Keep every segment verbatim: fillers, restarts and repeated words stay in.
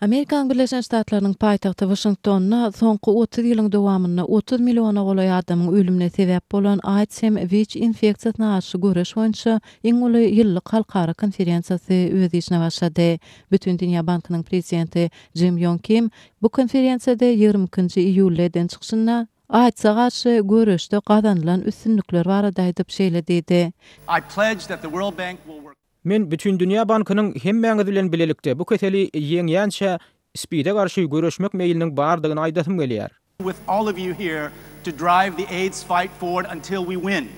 Amerikanyň Birleşen Ştatlarynyň paýtagty Waşingtonda soňky otuz ýylyň dowamynda otuz milliona golaý adamyň ölümine sebäp bolan AIDS hem WIÇ infeksiýasyna garşy göreş boýunça iň uly ýyllyk halkara konferensiýasy öz işine başlady. Bütindünýä bankynyň prezidenti Jim Ýong Kim bu konferensiýada ýigrimi ikinji iýulda eden çykyşynda AIDS-e garşy göreşde gazanylan üstünlikler barada aýdyp şeýle diýdi. I pledge that the World Bank will work Men Bütindünýä bankynyň hemmäňiz bilen bilelikde bu keseli ýeňýänçä SPID-e garşy göreşmek meýliniň bardygyny aýdasym gelýär. with all of you here to drive the AIDS fight forward until we win.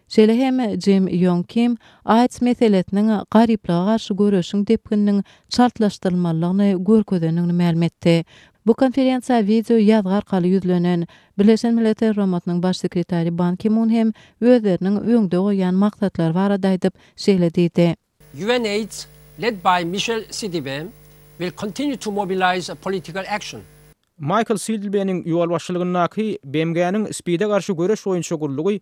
Şeýle hem Jim Ýong Kim AIDS meselesiniň garyplyga garşy göreşiň depgininiň çaltlaşdyrylmalydygyny görkezendigini mälim etdi. Bu konferensiýa wideo ýazgy arkaly ýüzlenen Birleşen Milletler Guramasynyň Baş sekretary Ban Ki-mun hem özleriniň öňde goýýan maksatlary barada aýdyp, şeýle diýdi. UNAIDS, led by Michel Sidibe, will continue to mobilize political action. Maýkl Sidibeniň ýolbaşçylygyndaky B M G-niň SPID-e garşy göreş boýunça gullugy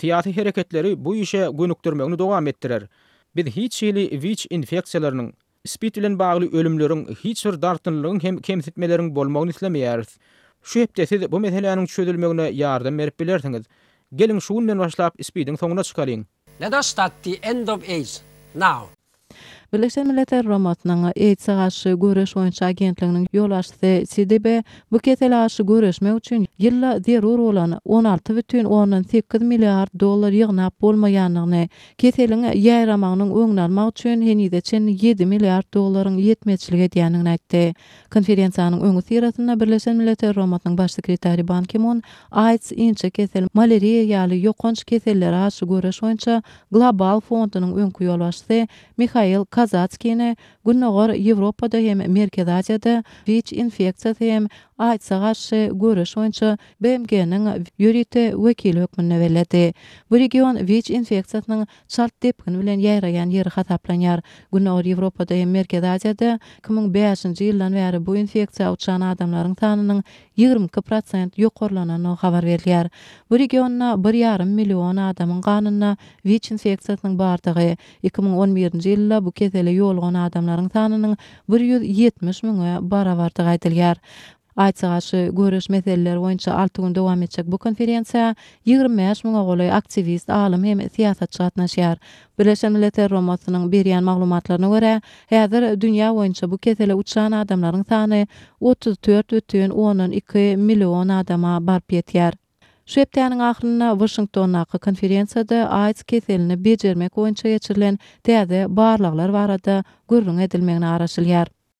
syýasy hereketleri bu işe gönükdirmegini dowam etdirer. Biz hiç hili WIÇ infeksiýalarynyň, SPID bilen bagly ölümleriň, hiç bir dartgynlygyň hem kemsitmeleriň bolmagyny islemeýäris. Şu hepde siz bu meseläniň çözülmegine ýardam berip bilersiňiz. Geliň şu günden başlap SPID-iň soňuna çykalyň. Let us start the end of AIDS now. Birleşen Milletler Guramasynyň AIDS-e garşy göreş boýunça agentliginiň ýolbaşçysy Sidibe bu kesele garşy göreşmek üçin ýylda zerur bolan on alty bütin ondan sekiz milliard dollar ýygnap bolmaýandygyny, keseliň ýaýramagynyň öňüni almak üçin henize çenli ýedi milliard dollaryň ýetmezçilik edýändigini aýtdy. Konferensiýanyň öňüsyrasynda Birleşen Milletler Guramasynyň Baş sekretary Ban Ki-mun AIDS, inçe kesel, malariýa ýaly ýokanç kesellere garşy göreş boýunça global fondunyň öňki ýolbaşçysy Mihail Kazatskini Gündogar Ýewropada hem Merkezi Aziýada WIÇ infeksiýasy hem AIDS-e garşy göreş boýunça B M G-niň ýörite wekili hökmünde belledi. Bu region WIÇ infeksiýasynyň çalt depgin bilen ýaýraýan ýeri hasaplanýar. Gündogar Ýewropada hem Merkezi Aziýada iki müň bäşinji ýyldan bäri bu infeksiýa uçran adamlaryň sanynyň ýigrimi iki prosent ýokarlanandygy habar berilýär. Bu regionda bir ýarym million adamyň ganynda WIÇ infeksiýasynyň bardygy, iki müň on birinji ýylda bu kesele ýolugan adamlaryň sanynyň bir ýüz ýetmiş müňe barabardygy aýdylýar. AIDS-e garşy göreş meseleleri boýunça alty gün dowam etjek bu konferensiýa ýigrimi bäş müňe golaý aktiwist, alym hem syýasatçy gatnaşýar. Birleşen Milletler Guramasynyň berýän maglumatlaryna görä, häzir dünýä boýunça bu kesele uçran adamlaryň sany otuz dört bütin ondan iki million adama baryp ýetýär. Şu hepdäniň ahyrynda Waşingtondaky konferensiýada AIDS keselini bejermek boýunça geçirilen täze barlaglar barada gürrüň edilmegine garaşylýar.